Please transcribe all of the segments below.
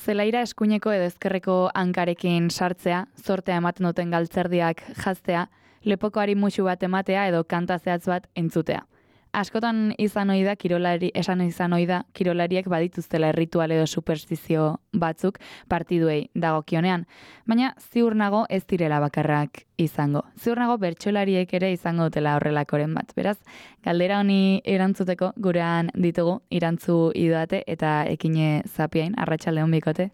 Zelaira eskuineko edo ezkerreko hankarekin sartzea, zortea ematen duten galtzerdiak jaztea, lepokoari musu bat ematea edo kanta zehatz bat entzutea. Askotan izan ohi da kirolariek badituztela erritual edo superstizio batzuk partiduei dagokionean, baina ziur nago ez direla bakarrak izango. Ziur nago bertsolariek ere izango dutela horrelakoren bat. Beraz, galdera honi erantzuteko gurean ditugu Irantzu Idoate eta Ekine Zapiain. Arratsaldeon bikote.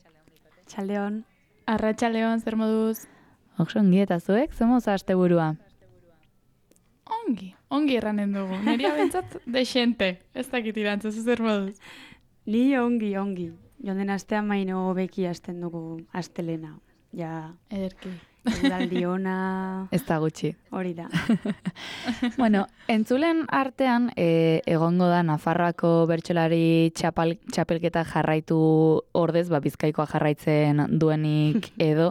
Txaldeon. Arratsaldeon, zer moduz? Ongi eta zuek, zer moduz asteburua? Ongi erranen dugu. Neria bentsat desente. Ez dakit Irantzu, zer moduz? Ni ongi. Jonden astean maino beki hasten dugu astelena. Ja, ederki. Udaldi ona... Ez da gutxi. Hori da. Bueno, entzulen artean egongo da Nafarroako bertsolari txapelketa jarraitu ordez, Bizkaikoa jarraitzen duenik edo...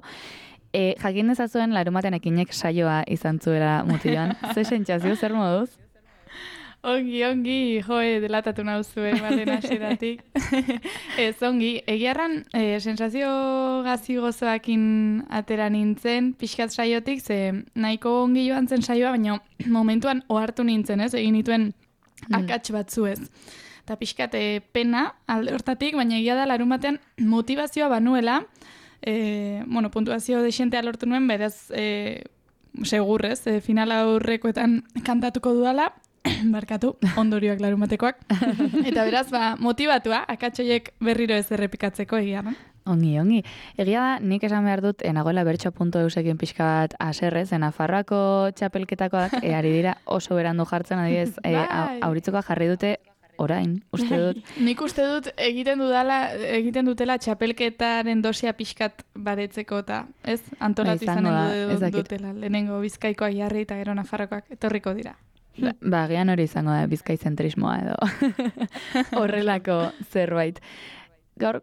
jakin dezazuen Larunbatean Ekinek saioa izan zuela mutilan. Ze sentsazio, zer moduz? Ongi, delatatu nauzue baten hasieratik. Ez, ongi, egiarran sensazio gazi gozoakin atera nintzen, pixkat saiotik, ze nahiko ongi joan zen saioa, baina momentuan ohartu nintzen, ez? Egin nituen akats batzu ez. Eta pixkat pena alde hortatik, baina egia da Larunbatean motivazioa banuela, puntuazio desentea lortu nuen, beraz, segurrez, final aurrekoetan kantatuko dudala, barkatu, ondorioak Larunbatekoak, eta beraz, motivatua, akatsoiek berriro ez errepikatzeko egia, no? Ongi. Egia da, nik esan behar dut, nagoela bertso.eusekin pixka bat aserrez, Nafarroako txapelketakoak, ari dira oso berandu jartzen, adibidez, auritzuka jarri dute, orain, uste dut. Nik uste dut egiten dutela txapelketaren dosia pixkat baretzeko eta, ez? Antolatu izanen dutela. Lehenengo Bizkaikoak jarri eta gero Nafarrokoak etorriko dira. Gian hori izango da bizkaizentrismoa edo horrelako zerbait. Gaur,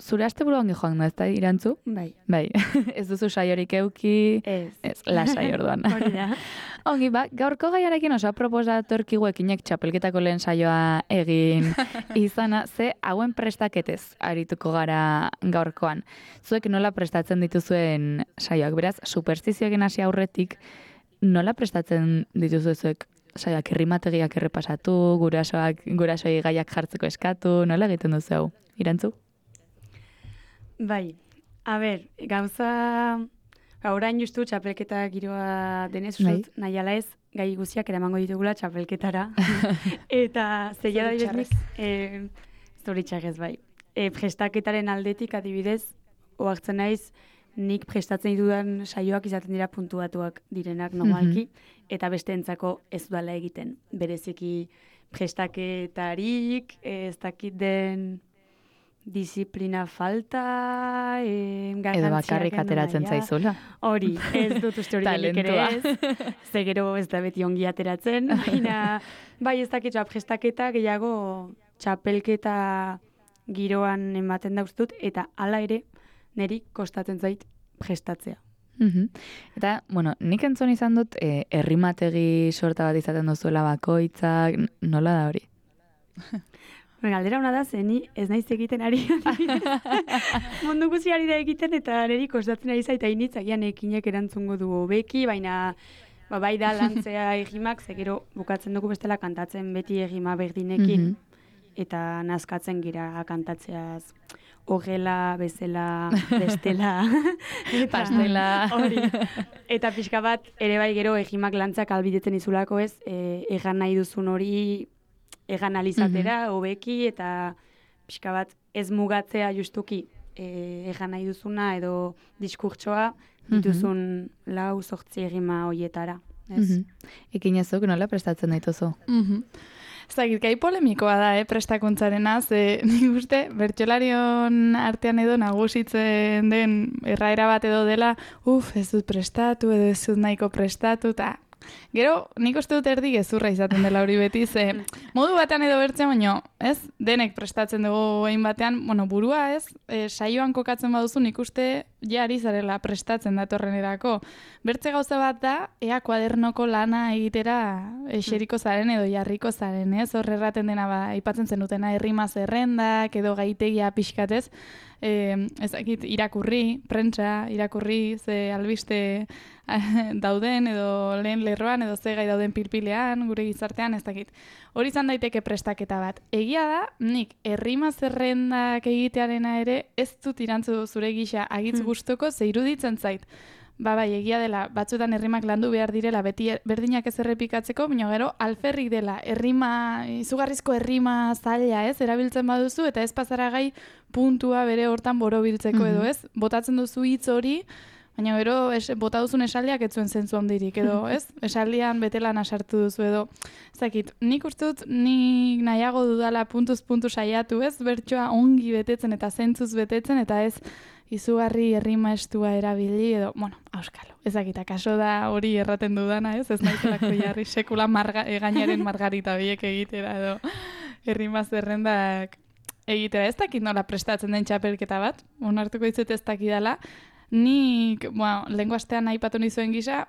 zure asteburu ongi joan da, ez da, Irantzu? Bai. Ez duzu saiorik euki? Ez, lasai orduan. Hori da. Ongi, gaurko gaiarekin oso proposatorkigu Ekinek txapelketako lehen saioa egin izana, ze hauen prestaketez arituko gara gaurkoan. Zuek nola prestatzen dituzuen saioak, beraz, superstizioekin hasi aurretik, nola prestatzen dituzue zuek saioak errimategiak errepasatu, gurasoi gaiak jartzeko eskatu, nola egiten duzu hau? Irantzu? Bai, gauza... Orain justu txapelketa giroa denez, usut, nahi ala ez, gai guziak eramango ditugula txapelketara. Eta zeia da biznik, zoritxarrez bai. Prestaketaren aldetik adibidez, oartzen naiz, nik prestatzen ditudan saioak izaten dira puntuatuak direnak normalki, eta besteentzako ez dudala egiten. Bereziki prestaketarik, ez dakit den disiplina falta, edo bakarrik ateratzen zaizula. Hori, ez dut uste hori denik ere ez. Zegero ez da beti ongi ateratzen. Baina, bai ez dakit prestaketa gehiago txapelketa giroan ematen dauztut, eta hala ere, niri kostatzen zait prestatzea. Eta, nik entzun izan dut, errimategi sorta bat izaten duzuela bakoitzak, nola da hori? Galdera hona da, zeni ez naiz egiten ari. Mundu guzi ari da egiten, eta niri kostatzen ari zaita initzakian Ekinek erantzungo du hobeki, baina bai da lantzea egimak, zegero bukatzen dugu bestela kantatzen beti egima berdinekin, eta nazkatzen gira kantatzeaz horrela, bezela, bestela, pastela. Hori. Eta pixka bat, ere bai gero egimak lantzak albidetzen izulako ez, egan nahi duzun hori egan alizatera, hobeki, eta pixka bat ez mugatzea justuki egan nahi duzuna edo diskurtsoa dituzun 4-8 egima hoietara. Ekinezuk nola prestatzen dituzu? Zagit, gai polemikoa da, prestakuntzarena, ze nik uste, bertsolarion artean edo nagusitzen den erraera bat edo dela, ez dut prestatu, edo ez dut nahiko prestatu, eta gero, nik uste dut erdi gezurra izaten dela hori beti, ze modu batean edo bertzen, baino, ez, denek prestatzen dugu egin batean, burua ez, saioan kokatzen baduzu, nik uste ja ari zarela prestatzen datorrenerako. Bertze gauza bat da, ea kuadernoko lana egitera eseriko zaren edo jarriko zaren, ez? Hor erraten dena aipatzen zenutena errima zerrendak edo gaitegia pixkatez, ezakit irakurri, prentsa irakurri, ze albiste dauden edo lehen lerroan edo ze gai dauden pilpilean, gure gizartean, ez dakit. Hori izan daiteke prestaketa bat. Egia da, nik errima zerrendak egitearena ere ez dut irantzu zure gisa agitz gustoko, ze iruditzen zait. Bai, egia dela, batzuetan errimak landu behar direla, beti berdinak ez errepikatzeko, baina gero alferrik dela, izugarrizko errima zaila, ez, erabiltzen baduzu, eta ez pasara gai puntua bere hortan borobiltzeko edo, ez, botatzen duzu hitz hori, baina gero bota duzun esaldiak ez zuen zentzu handirik, edo, ez, esaldian betelan asartu duzu, edo, ezakit, nik uste dut, nik nahiago dudala puntuz puntu saiatu, ez, bertsoa ongi betetzen eta zentzuz betetzen, eta ez, izugarri errima estua erabili edo, bueno, auskalo. Ezakita, kaso da hori erraten dudana, ez naizelako jarri sekula gainaren margarita biek egitera edo errima zerrendak egitera. Ez dakit nola prestatzen den txapelketa bat, onartuko dizut ez dakidala. Nik, bueno, lehengo astean aipatu nizuen gisa,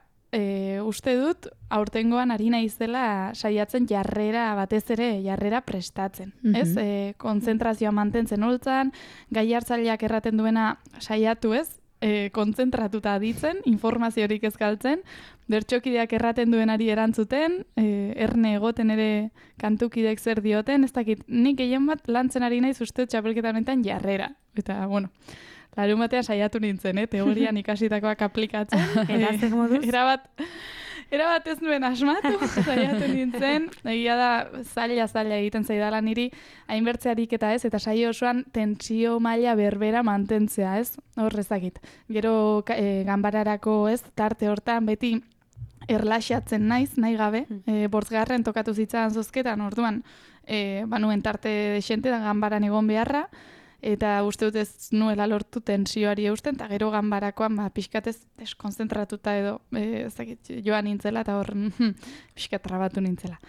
uste dut, aurtengoan ari naizela saiatzen batez ere jarrera prestatzen. Ez? Kontzentrazioa mantentzen holtzan, gai hartzaileak erraten duena saiatu ez, kontzentratuta aditzen, informaziorik ez galtzen, bertsokideak erraten duenari erantzuten, erne egoten ere kantukidek zer dioten, ez dakit, nik gehien bat lantzen ari naiz uste txapelketa honetan jarrera. Eta, bueno, larun batean saiatu nintzen, teorian ikasitakoak aplikatzen. Erazek moduz? Erabat ez nuen asmatu, saiatu nintzen. Egia da, zaila egiten zaidala niri, hainbertzearik eta ez, eta saio osoan tentsio maila berbera mantentzea, ez? Horrezakit. Gero ganbararako ez, tarte hortan beti erlaxatzen naiz, nahi gabe. Bortzgarren tokatu zitzan zozketan, orduan, banuen tarte desente da ganbaran egon beharra, eta uste dut ez nuela lortu tensioari eusten, eta gero ganbarakoan pixkatez deskonzentratuta edo joan nintzela, eta hor pixkat trabatu nintzela.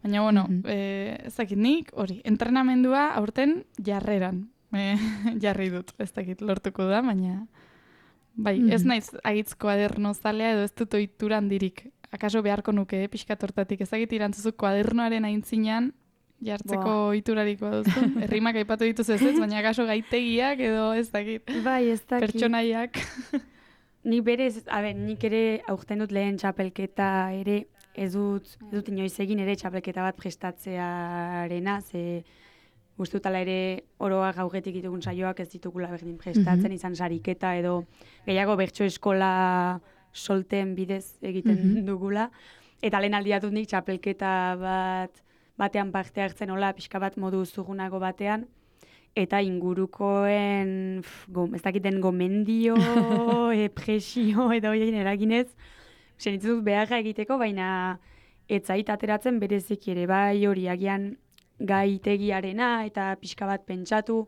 Baina, bueno, ezakit nik, hori, entrenamendua aurten jarreran jarri dut, ez dakit lortuko da, baina bai, ez naiz agitz kuaderno zalea edo ez dut ohitura handirik. Akaso beharko nuke, pixkat hortatik, ezakit irantzuzu kuadernoaren aintzinean, jartzeko ohiturariko duzu. Errimak aipatu dituz ez, baina akaso gaitegiak edo ez dakit. Bai, ez dakit. Pertsonaiak. Nik berez, nik ere aurten dut lehen txapelketa ere, ez dut inoiz egin ere txapelketa bat prestatzearena, ze guztutala ere oroa gaugetik ditugun saioak ez ditugula berdin prestatzen, izan sariketa edo gehiago bertso eskola solten bidez egiten dugula. Eta lehen aldiatut nik txapelketa batean parte hartzen hola, pixka bat modu zugunago batean, eta ingurukoen, ez dakiten gomendio, presio edo horien eraginez, senitzen dut beharra egiteko, baina etzait ateratzen bereziki ere, bai hori agian gaitegiarena eta pixka bat pentsatu,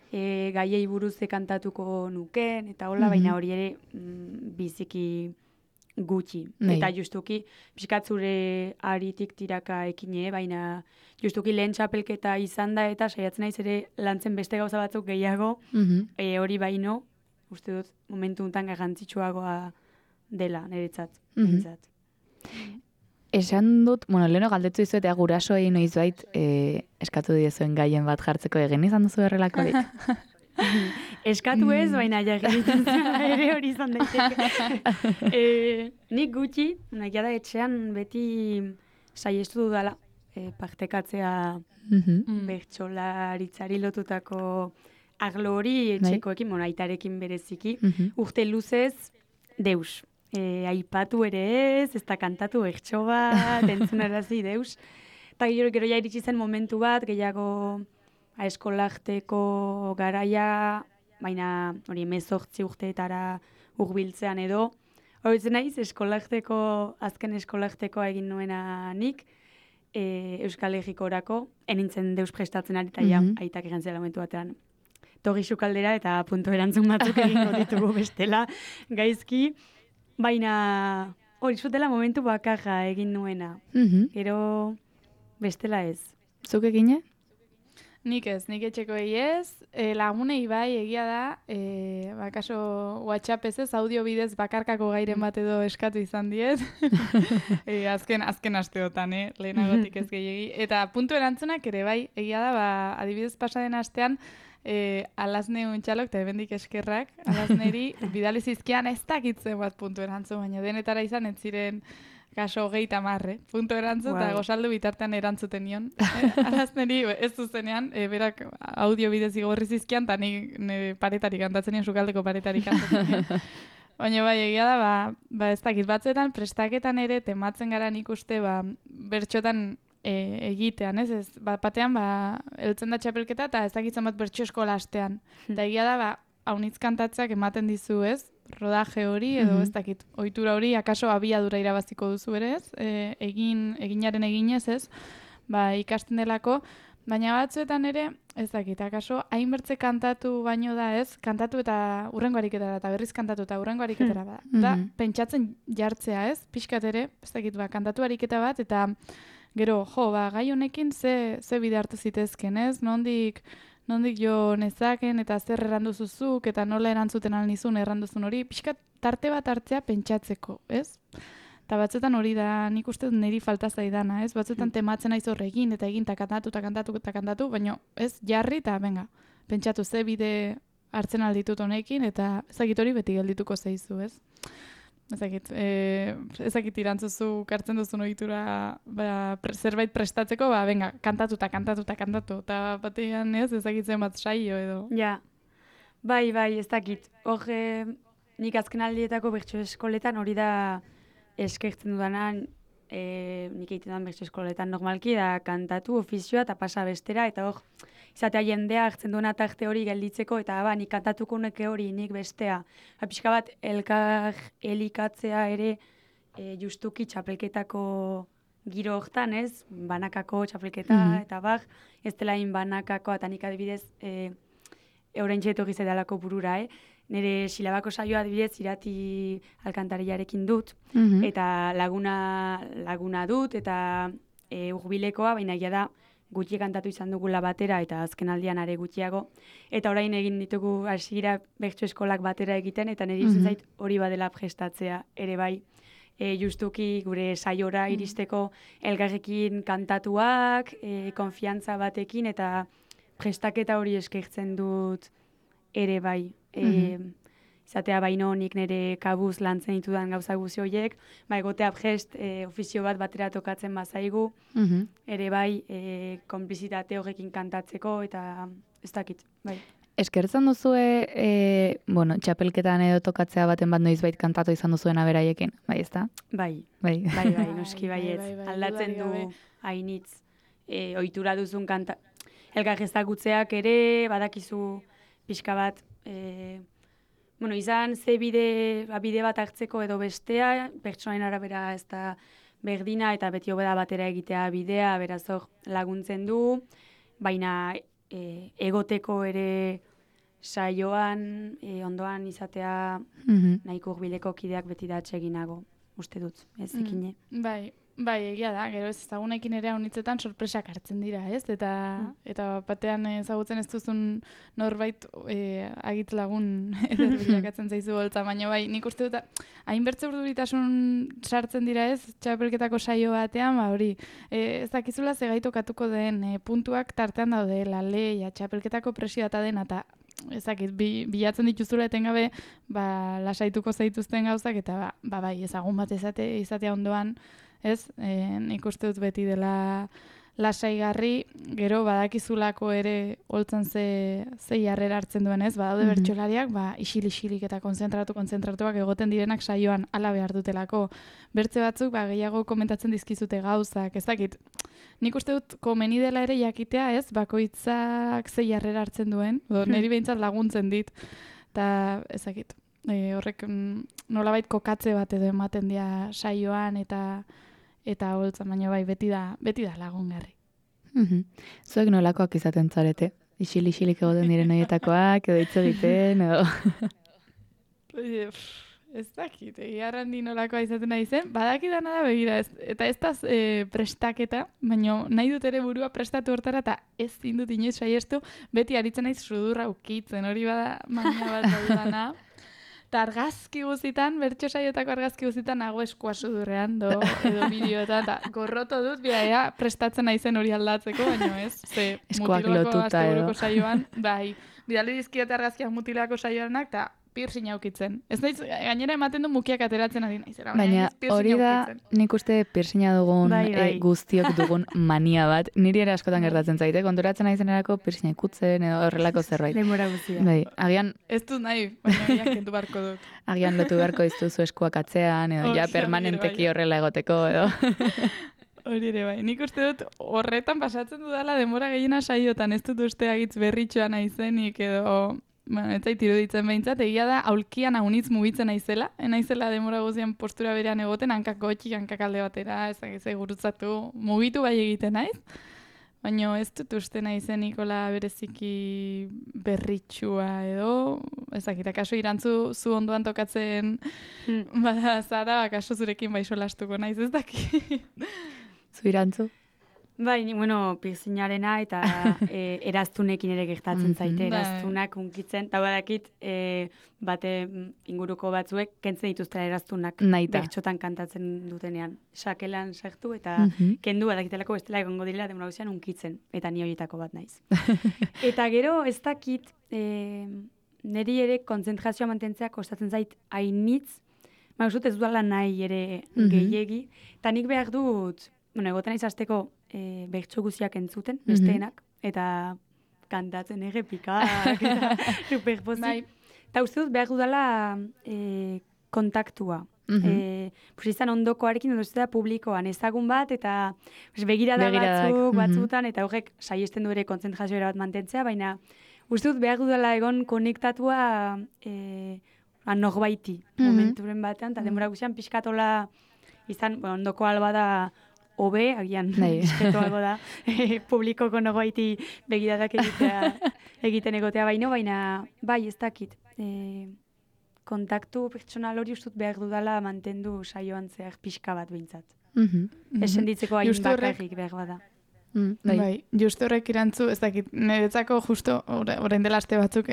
gaiei buruz kantatuko nuken, eta hola, baina hori ere biziki gutxi. Eta justuki, pixkat zure aritik tiraka ekine, baina justuki lehen txapelketa izan da eta saiatzen naiz ere lantzen beste gauza batzuk gehiago, hori baino, uste dut, momentu honetan garrantzitsuagoa dela, niretzat. Esan dut, leheno galdetu dizuet, gurasoei noiz bait, eskatu diezuen gaien bat jartzeko egin izan duzu errelakorik. Eskatu ez, baina jarritzen ere hori izan daiteke. Nik gutxi, nahi da etxean beti saiestu dudala partekatzea bertsolaritzari lotutako arlo hori etxekoekin, aitarekin bereziki, urte luzez deus. Aipatu ere ez da kantatu bertso bat, entzunarazi deus. Eta gero ja iritsi zen momentu bat, gehiago eskolajteko garaia, baina hori 18 urteetara hurbiltzean edo. Horitzen naiz, azken eskolajtekoa egin nuena nik, Euskal Herrikorako, enintzen deus prestatzen ari, eta aitak egin zela momentu batean. Togi sukaldera eta punto erantzun batzuk egingo ditugu bestela gaizki, baina hori zutela momentu bakarra egin nuena. Gero bestela ez. Zuk egine? Nik etxeko ez, lagunei bai egia da, kaso WhatsApp ez audio bidez bakarkako gairen bat edo eskatu izan diet, azken asteotan, lehenagotik ez gehiagi. Eta puntu erantzunak ere bai, egia da, adibidez pasaden astean, alazne untxalok, eta ebendik eskerrak, alazneri bidali zizkian ez dakitzen bat puntu erantzun, baina denetara izan ez ziren kaso 30, puntu erantzun, eta gozaldu bitartean erantzuten nion. Alazneri ez zuzenean, berak audio bidez igorri zizkian, eta ni paretari kantatzen nion, sukaldeko paretari kantatzen nion. Baina bai, egia da, ez dakit batzuetan, prestaketan ere, tematzen gara nik uste, bertxotan egitean, ez? Batean, eltzen da txapelketa, eta ez dakitzen bat bertxo eskola astean. Eta egia da, haunitz kantatzeak ematen dizu, ez? Rodaje hori, edo ez dakit, ohitura hori, akaso abiadura irabaziko duzu ere, ez? Eginaren eginez, ez? Ikasten delako, baina batzuetan ere, ez dakit, akaso, hainbertze kantatu baino da, ez? Kantatu eta hurrengo ariketara, eta berriz kantatu eta hurrengo ariketara da. Da, pentsatzen jartzea, ez? Pixkat ere, ez dakit, kantatu ariketa bat, eta gero, gai honekin ze bide hartu zitezken, ez? Nondik jo nezaken eta zer erranduzuzuk eta nola erantzuten alnizun erranduzun hori, pixkat tarte bat hartzea pentsatzeko, ez? Eta batzuetan hori da, nik uste niri falta zaidana, ez? Batzuetan tematzen aiz horregin eta egin eta kantatu, baina ez jarri eta benga, pentsatu ze bide hartzen alditut honekin eta ezagit hori beti geldituko zeizu, ez? Ezakit irantzuzu kartzen duzun ohitura zerbait prestatzeko, venga, kantatu, eta batean ez, ezakitzen bat saio edo. Ja, bai, ez dakit. Hor, nik azken aldietako bertso eskoletan hori da eskertzen dudanan, nik egiten dudan bertso eskoletan normalki, da kantatu, ofizioa eta pasa bestera, eta hor, izatea jendea hartzen duena tarte hori gelditzeko, eta nik kantatuko neke hori, nik bestea. Pixka bat, elkar elikatzea ere justuki txapelketako giro hortan, ez? Banakako txapelketa, eta ez dela hain banakako, eta nik adibidez, euren txeto gizedalako burura, nire silabako saioa adibidez irati alkantariarekin dut, eta laguna dut, eta urbilekoa, baina egia da, gutxi kantatu izan dugula batera eta azken aldian are gutxiago. Eta orain egin ditugu hasiera bertso eskolak batera egiten eta niri iruditzen zait hori badela prestatzea ere bai. Justuki gure saiora iristeko elgarrekin kantatuak, konfiantza batekin eta prestaketa hori eskertzen dut ere bai. Izatea baino nik nire kabuz lantzen ditudan gauza guzi horiek, egotea prest ofizio bat batera tokatzen bazaigu, ere bai konplizitate horrekin kantatzeko eta ez dakit, bai. Eskertzen duzue, txapelketan edo tokatzea baten bat noizbait kantatu izan duzuen aberaiekin, bai ez da? Bai, noski baietz. Aldatzen du hainitz, ohitura duzun elkar ezagutzeak ere, badakizu pixka bat, izan ze bide bat hartzeko edo bestea, pertsonaien arabera ez da berdina eta beti hobeda batera egitea bidea, beraz hor laguntzen du, baina egoteko ere saioan, ondoan izatea nahiko hurbileko kideak beti da atseginago, uste dut, ez ekine. Bai, egia da, gero ez ezagunekin ere haunitzetan sorpresak hartzen dira, ez? Eta batean ezagutzen ez duzun norbait agit lagun eder bilakatzen zaizu holtza, baina bai, nik uste dut, hainbertze urduritasun sartzen dira ez, txapelketako saio batean, hori, ez dakizula zegaitokatuko den puntuak tartean daude, leia, txapelketako presio eta den, eta ezakit, bilatzen dituzula etengabe, lasaituko zaituzten gauzak, eta bai, ezagun bat izatea ondoan, ez, nik uste dut beti dela lasaigarri, gero badakizulako ere holtzan ze jarrera hartzen duen, ez, badaude bertsolariak, isilik eta konzentratuak egoten direnak saioan ala behar dutelako. Bertze batzuk, gehiago komentatzen dizkizute gauzak, ez dakit. Nik uste dut komeni dela ere jakitea, ez, bakoitzak ze jarrera hartzen duen, niri behintzat laguntzen dit, eta ez dakit. Horrek nolabait kokatze bat edo ematen dira saioan eta holtzan, baina bai, beti da lagungarri. Zuek nolakoak izaten zarete? Isilik egoten diren horietakoak, edo hitz egiten, edo... Ez dakit, egiarran di nolakoa izaten nahi zen, badakidana da begira, eta ez da prestaketa, baina nahi dut ere burua prestatu hortara, eta ez zindut inoiz saiestu, beti aritzen naiz sudurra ukitzen, hori bada mania bat daudana. Eta argazki guztitan, bertso saiotako argazki guztitan, nago eskua sudurrean, edo bideoetan, eta gorroto dut, bidea, prestatzen naizen hori aldatzeko, baina ez, ze Eskuak mutilako lotuta edo. saioan, bai, bidali dizkiote argazkiak mutilako saioanak, eta piercing aukitzen. Ez naiz, gainera ematen du mukiak ateratzen ari naizera. Baina hori da, nik uste piercinga dugun Bai. guztiok dugun mania bat. Niri ere askotan gertatzen zaite, konturatzen naizenerako piercinga ikutzen edo horrelako zerbait. Denbora guztia. Bai, agian Ez dut nahi, baina biak kendu barko dut. agian lotu beharko diztuzu eskuak atzean, edo ja Hori permanenteki bai. horrela egoteko, edo. Hori ere bai. Nik uste dut horretan pasatzen dudala denbora gehiena saiotan, ez dut uste agitz berritxoa naizenik edo... Bueno, ez zait iruditzen behintzat, egia da aulkian haunitz mugitzen naizela, naizela denbora guztian postura berean egoten, hankak gotxik, hankak alde batera, ez gurutzatu, mugitu bai egiten naiz, baina ez dut uste naizen Nikola bereziki berritxua edo, ezakit, akaso irantzu zu ondoan tokatzen bada zara, akaso zurekin bai solastuko naiz, ez daki. Zu irantzu? Bai, bueno, piercingarena eta eraztunekin ere gertatzen zaite, Bai. eraztunak unkitzen, eta badakit bate inguruko batzuek kentzen dituztela eraztunak Nahita. bertxotan kantatzen dutenean. Sakelan sartu eta kendu badakitelako bestela egongo direla denbora guztian unkitzen, eta ni horietako bat naiz. Eta gero ez dakit, niri ere kontzentrazioa mantentzea kostatzen zait hainitz, mausut ez duala nahi ere gehiegi, eta nik behar dut, bueno, egoten naiz hasteko bertso guztiak entzuten, besteenak, eta kantatzen errepikak, eta superpozik. Bai. Eta uste dut behar dudala kontaktua. Izan ondokoarekin, edo ez da publikoan ezagun bat, eta begirada Begiradak, batzutan, eta horrek saiesten du ere kontzentrazioa bat mantentzea, baina uste dut behar dudala egon konektatua norbaiti momenturen batean, eta denbora guztian pixkatola izan, bueno, ondoko alba da hobe, agian disketo algo da, publikoko norbaiti begiradak egiten egotea baina bai, ez dakit. Kontaktu pertsonal hori ustut behar dudala mantendu saioan zehar pixka bat behintzat. Esen ditzeko hain bakarrik behar bada. Bai, justo horrek irantzu, ez dakit, niretzako justo, orain dela aste batzuk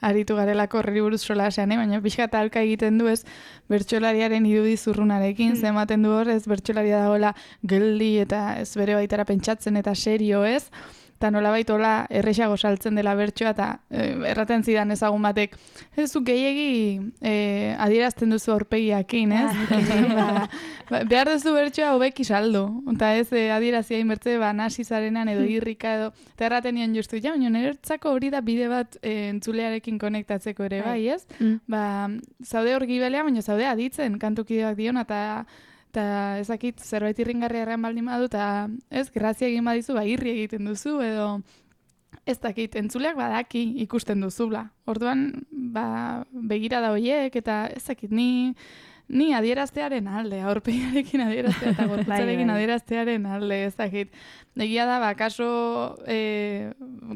aritu garelako horri buruz solasean, baina pixka talka egiten du ez bertsolariaren irudi zurrunarekin, zematen du hor, ez bertsolaria dagoela geldi eta ez bere baitara pentsatzen eta serio ez, eta nolabait hola erresago saltzen dela bertsoa, eta erraten zidan ezagun batek, ez zu gehiegi adierazten duzu aurpegiakin, ez? Behar duzu bertsoa hobeki saldu, eta ez adierazia inbertze nasi zarenan edo irrika edo, eta erraten nion justu, ja, baina niretzako hori da bide bat entzulearekin konektatzeko ere, bai, ez? Zaude hor gibelea, baina zaude aditzen kantukideak dion, eta ezakit zerbait irringarria erran baldin badu, eta ez, grazia egin badizu, irri egiten duzu, edo ez dakit, entzuleak badaki ikusten duzula. Orduan, begirada horiek, eta ez dakit, ni adieraztearen alde, aurpegiarekin adieraztea eta gorputzarekin adieraztearen alde, ez dakit. Egia da, kaso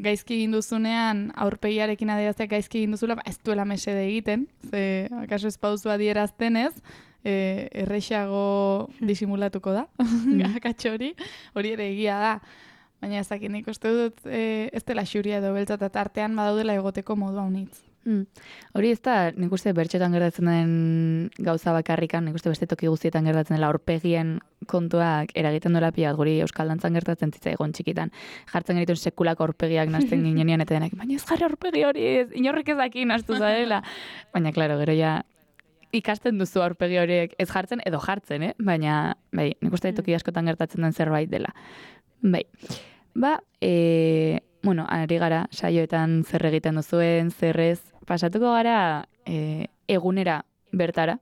gaizki egin duzunean, aurpegiarekin adieraztea gaizki egin duzula, ez duela mesede egiten, ze kaso ez pauzu adierazten ez, errexago disimulatuko da, akatxo hori ere egia da. Baina ezakit, nik uste dut ez dela xuria edo beltza eta tartean badaudela egoteko modu haunitz. Hori ez da, nik uste bertxotan gertatzen den gauza bakarrikan, nik uste beste toki guztietan gertatzen dela aurpegien kontuak eragiten dola pila, guri Euskal Dantzan gertatzen zitzaigun txikitan. Jartzen genituen sekulako aurpegiak nazten ginean eta denak, baina ez jarri aurpegi hori, inorrik ez daki naztu zarela. Baina, klaro, gero ja ikasten duzu aurpegi horiek ez jartzen edo jartzen, baina bai, nik uste toki askotan gertatzen den zerbait dela. Bai, bueno, ari gara, saioetan zer egiten duzuen, zerrez, pasatuko gara egunera bertara,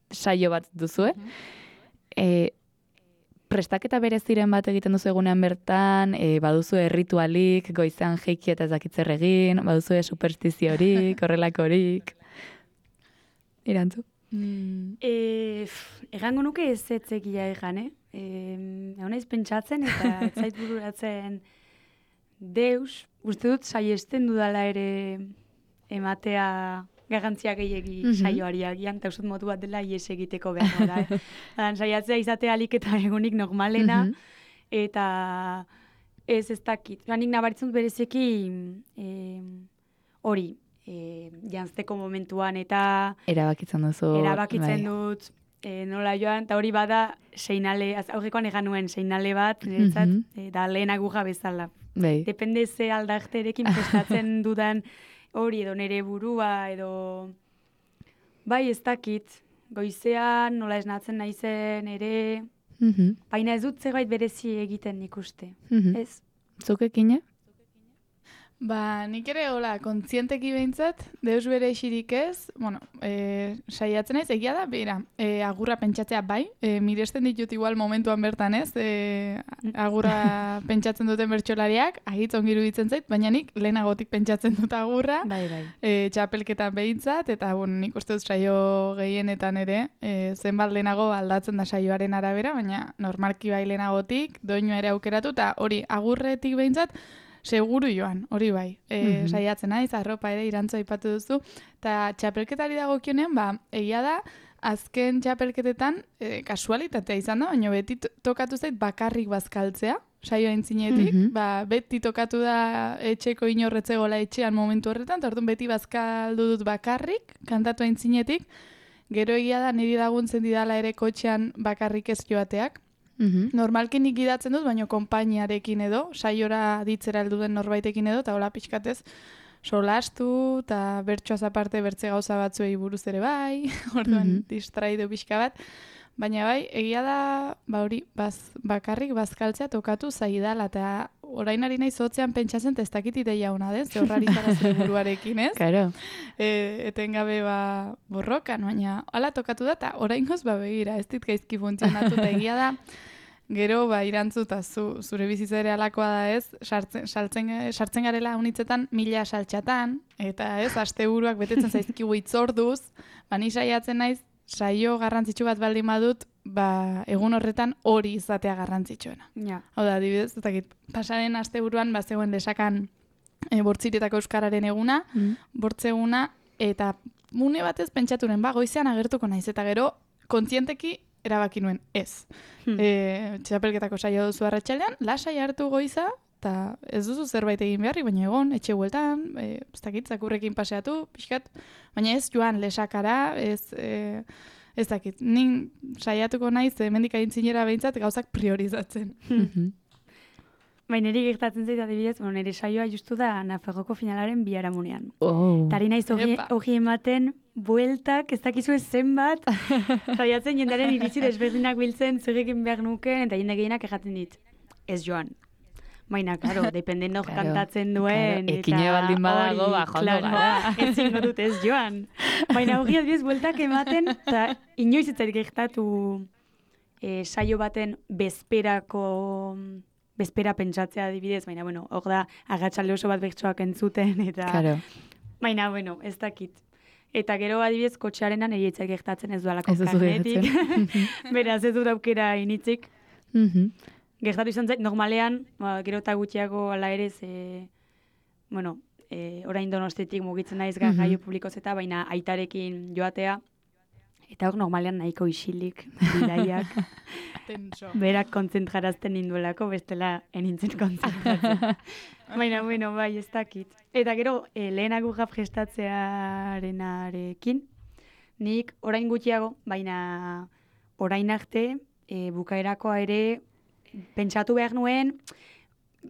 saio bat duzue. Prestaketa bereziren bat egiten duzu egunean bertan, baduzu erritualik, goizean jeiki eta ez dakit zer egin, baduzu superstiziorik, horrelakorik. Irantzu? Egango nuke ez etzekia egan, Haunaiz pentsatzen eta ez zait bururatzen deus, uste dut saiesten dudala ere ematea garrantzia gehiegi saioari agian, eta uste modu bat dela ies egiteko behar da. Saiatzea izatea alik eta egunik normalena, eta ez dakit. Nik nabaritzen bereziki hori, jantzteko momentuan, eta erabakitzen duzu. Erabakitzen dut, nola joan, eta hori bada seinale, aurrekoan egan nuen seinale bat, niretzat, da lehen agurra bezala. Depende ze aldarterekin prestatzen dudan hori edo nire burua, edo bai ez dakit, goizean nola esnatzen naizen ere, baina ez dut zerbait berezi egiten nik uste, ez? Zukekine? Ba, nik ere, hola, kontzienteki behintzat, deus bere isirik ez, bueno, saiatzen naiz, egia da, bera, agurra pentsatzea bai, miresten ditut igual momentuan bertan ez, agurra pentsatzen duten bertsolariak, agitz ongiru ditzen zait, baina nik lehenagotik pentsatzen dut agurra, txapelketan behintzat, eta bueno, nik uste dut saio gehienetan ere, zenbat lehenago aldatzen da saioaren arabera, baina normalki bai lehenagotik, doinua ere aukeratu, eta hori agurretik behintzat, seguru joan, hori bai. Saiatzen naiz, arropa ere irantzu aipatu duzu. Eta txapelketari dagokionean, egia da, azken txapelketetan kasualitatea izan da, baina beti tokatu zait bakarrik bazkaltzea, saioa intzinetik. Beti tokatu da etxeko inorretzegola etxean momentu horretan, eta orduan beti bazkaldu dut bakarrik, kantatu intzinetik. Gero egia da, niri laguntzen didala ere kotxean bakarrik ez joateak. Normalki nik gidatzen dut, baina konpainiarekin edo, saiora ditzera heldu den norbaitekin edo, eta hola pixkatez solastu, eta bertsoaz aparte bertze gauza batzuei buruz ere bai, orduan distraidu pixka bat. Baina bai, egia da, hori, bakarrik bazkaltzea tokatu zaidala, eta orain ari nahi zotzean pentsatzen, ez dakit ideia hona den, ze horrari zara zure buruarekin, ez? Claro. Etengabe borrokan, baina hala tokatu da, eta orain goz begira, ez dit gaizki funtzionatu, eta egia da, gero, irantzuta, zure bizitza ere alakoa da ez, sartzen garela unitzetan 1000 saltxatan, eta ez, asteburuak betetzen zaizkigu itzorduz, ni saiatzen naiz, saio garrantzitsu bat baldin badut, egun horretan hori izatea garrantzitsuena. Hau da, adibidez, pasaren asteburuan zegoen lesakan bortziretako euskararen eguna, bortzeguna, eta mune batez pentsaturen, goizean agertuko naiz, eta gero kontzienteki erabaki nuen ez. Txapelketako saio duzu arratsaldean, lasai hartu goiza, eta ez duzu zerbait egin beharrik, baina egon, etxe bueltan, ez dakit, zakurrekin paseatu, pixkat, baina ez joan lesakara, ez dakit. Nik saiatuko naiz, hemendik aintzinera behintzat gauzak priorizatzen. Baina niri gertatzen zait adibidez, nire saioa justu da Nafarroko finalaren biharamunean. Tari naiz hori ematen, bueltak, ez dakizu ez zenbat, saiatzen jendaren iritzi desberdinak biltzen, zegekin behar nuken, eta jende gehienak erraten dit. Ez joan. Baina, klaro, dependen hor kantatzen duen. Ekine baldin badago, jondo gara. Ez zingo dut ez joan. Baina hori adibidez, bueltak ematen, eta inoiz ez zait gertatu saio baten bezpera pentsatzea adibidez, baina, hor da, agatxalde oso bat bertsoak entzuten, eta... Baina, ez dakit. Eta gero adibidez, kotxearenan erietzak gertatzen ez dualako karnetik. Beraz, ez dut aukera initzik. Gertatu izan zait, normalean, gero eta gutxiago ala ere, orain Donostiatik mugitzen naiz garraio publikoz eta, baina aitarekin joatea, eta hor normalean nahiko isilik bidaiak. Berak kontzentrarazten ninduelako, bestela enintzen kontzentratzen. Baina, bai, ez dakit. Eta gero, lehen agurra prestatzearenarekin, nik orain gutxiago, baina orain arte, bukaerakoa ere, pentsatu behar nuen,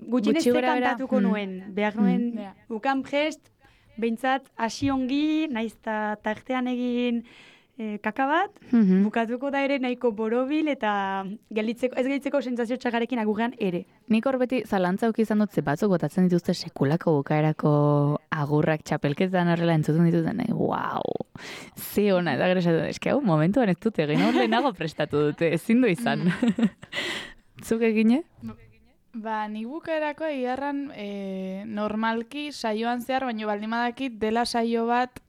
gutxienez kantatuko nuen. Behar nuen, bukan prest, behintzat, hasi ongi, naiz tartean egin kaka bat, bukatuko da ere nahiko borobil eta ez gelditzeko sentsazio txagarekin agurrean ere. Nik hor beti zalantza auki izan dut ze batzuk botatzen dituzte sekulako bukaerako agurrak txapelketan horrela entzuten dituten. Wow! Ze hona, eta gero esatu, eske hau momentuan ez dute, egin hor lehenago prestatu dute, ezin du izan. Zuk egine? Nik bukaerako egiarran normalki saioan zehar, baina baldimadakit dela saio bat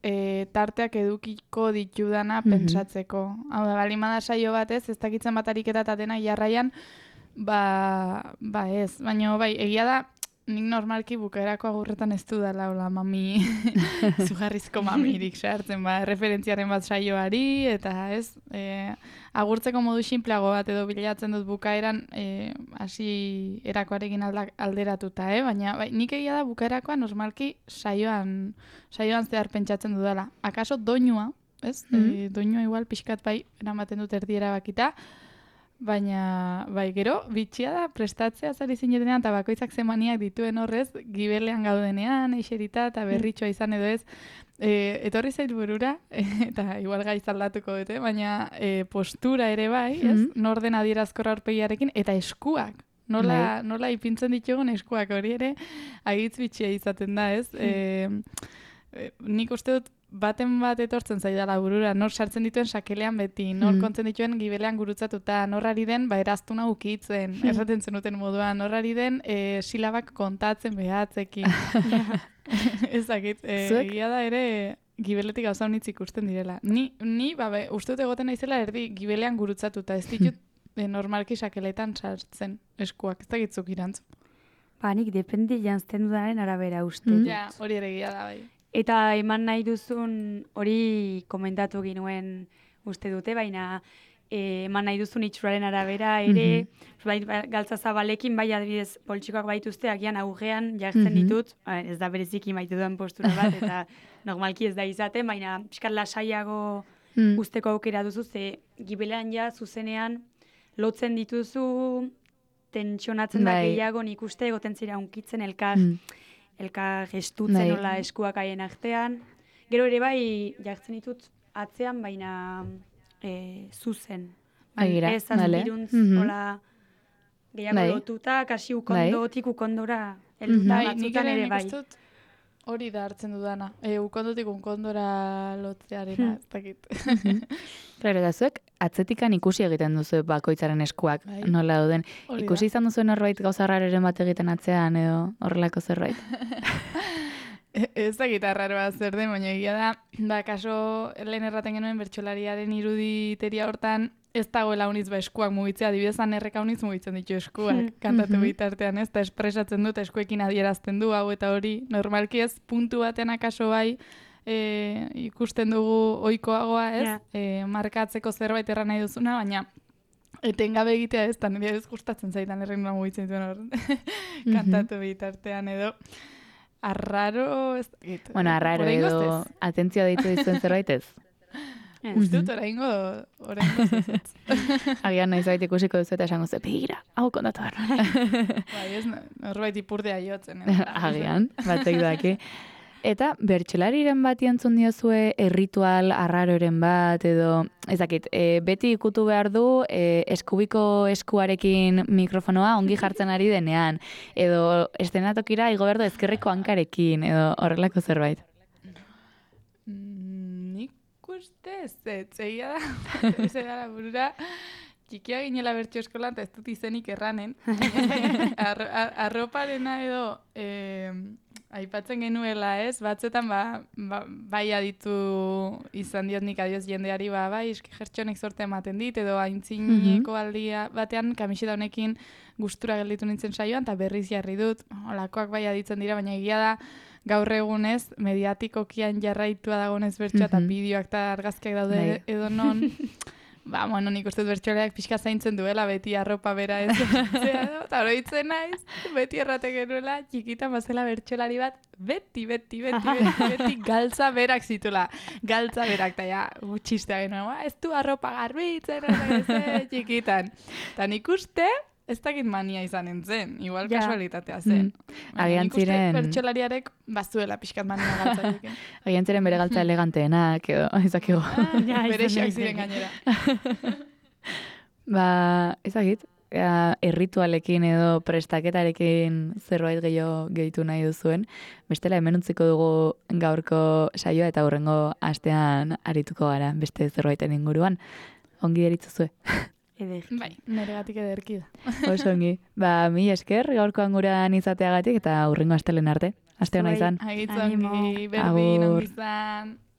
tarteak edukiko ditudana pentsatzeko. Hau da, baldimada saio bat ez dakitzen bat ariketa eta dena jarraian, ez. Baina bai, egia da, nik normalki bukaerako agurretan ez du dela, hola, mami, zugarrizko mamirik sartzen, referentziaren bat saioari, eta ez, agurtzeko modu sinpleago bat edo bilatzen dut bukaeran, hasi erakoarekin alderatuta, baina nik egia da bukaerakoa normalki saioan zehar pentsatzen dudala. Akaso doinua, ez? Doinua igual pixkat bai eramaten dut erdiera bakita, baina, gero, bitxia da, prestatzea zari zinetenean, eta bakoitzak zemaniak dituen horrez, gibelean gaudenean, eixerita, eta berritxoa izan edo ez, etorri zait burura, eta igual gaiz aldatuko dute, baina postura ere bai, ez? Norden adierazkorra aurpegiarekin, eta eskuak. Nola ipintzen ditugun eskuak hori ere, agitz bitxia izaten da, ez? Nik uste dut, baten bat etortzen zaidala burura, nor sartzen dituen sakelean beti, nor kontzen dituen gibelean gurutzatuta, nor ari den, erastuna ukitzen, erraten zenuten moduan, nor ari den silabak kontatzen behatzekin. Ezakit, egia da ere gibeletik gauza honitz ikusten direla. Ni uste dut egoten naizela erdi gibelean gurutzatuta, ez ditut normalki sakeletan sartzen eskuak, ez dakitzuk irantzu. Nik depende jantzten dudaren arabera uste. Ja, hori ere egia da bai. Eta eman nahi duzun hori komentatu ginuen uste dute, baina eman nahi duzun itxuraren arabera ere, galtza zabalekin, bai adibidez poltsikoak baituzte, agian agujean jartzen ditut, ez da bereziki maitu duen postura bat, eta normalki ez da izaten, baina pixkat lasaiago usteko aukera duzu, ze gibelean ja zuzenean lotzen dituzu, tentsionatzen da gehiago, nik uste egoten zira unkitzen elkar gestutzen nola eskuak haien artean. Gero ere bai jartzen ditut atzean, baina zuzen. Ez azpiruntz nola gehiago lotuta, kasi ukondotik ukondora elduta batzutan ere bai. Nik ustut hori da hartzen dudana. Ukondotik ukondora lotzearena, ez dakit. Claro, da zuek atzetikan ikusi egiten duzu bakoitzaren eskuak nola dauden. Ikusi izan duzuen norbait gauza rareren bat egiten atzean edo horrelako zerbait. Ez da gitarraroa zer den, baina egia da, kaso lehen erraten genuen bertsolariaren iruditeria hortan, ez dagoela uniz eskuak mugitzea, adibidezan erreka uniz mugitzen ditu eskuak, kantatu bitartean, ez, eta espresatzen dut, eskuekin adierazten du, hau eta hori, normalki ez, puntu batean akaso bai, ikusten dugu ohikoagoa, ez, markatzeko zerbait erran nahi duzuna, baina etengabe egitea ez, eta nire ez gustatzen zaitan erren mugitzen duen hor, kantatu bitartean edo, arraro, ez dakit. Bueno, arraro edo atentzioa deitu dizuen zerbait ez? Uste dut oraingo ez. Agian nahi zait ikusiko duzu eta esango ze, begira, hau kontatu behar. Bai, ez, norbait ipurdea jotzen. Agian, batek daki. Eta bertsolariren bat jantzun diozue erritual arraroren bat edo, ezakit, beti ikutu behar du eskubiko eskuarekin mikrofonoa ongi jartzen ari denean, edo estenatokira igo behar du ezkerreko hankarekin, edo horrelako zerbait. Nik uste egia da, ez da burura, txikia ginela bertso eskolan, eta ez dut izenik erranen. Arroparena edo... aipatzen genuela, ez? Batzetan, bai aditu izan diot nik adioz jendeari, bai, eski jertxonek sorte ematen dit, edo aintzineko aldia batean, kamiseta honekin gustura gelditu nintzen saioan, eta berriz jarri dut, olakoak bai aditzen dira, baina egia da, gaur egunez, mediatikokian jarraitua dagoenez bertsoa, eta bideoak eta argazkiak daude edo non... Bueno, nik uste bertsoleak pixka zaintzen duela, beti arropa bera ez. Eta oroitzen naiz, beti errate genuela, txikitan bazela bertsolari bat, beti galtza berak zitula. Galtza berak, eta ja, txistea genuen, ez du arropa garbitzen, txikitan. Eta nik uste, ez dakit mania izanen zen, igual kasualitatea zen. Agian nik uste ziren... bertsolariarek bazuela pixkat mania galtzarekin. Agian ziren bere galtza eleganteenak, edo, ezakigo. Bere xeak ziren gainera. Ez dakit, erritualekin edo prestaketarekin zerbait gehitu nahi duzuen. Bestela hemen utziko dugu gaurko saioa eta hurrengo astean arituko gara beste zerbaiten inguruan. Ongi deritzuzue. Bai, neregatik ederki da. Oso ongi. Mi esker gaurkoan gurean izateagatik eta hurrengo astelen arte. Aste hona izan. Agitz ongi, berdin, ongi izan.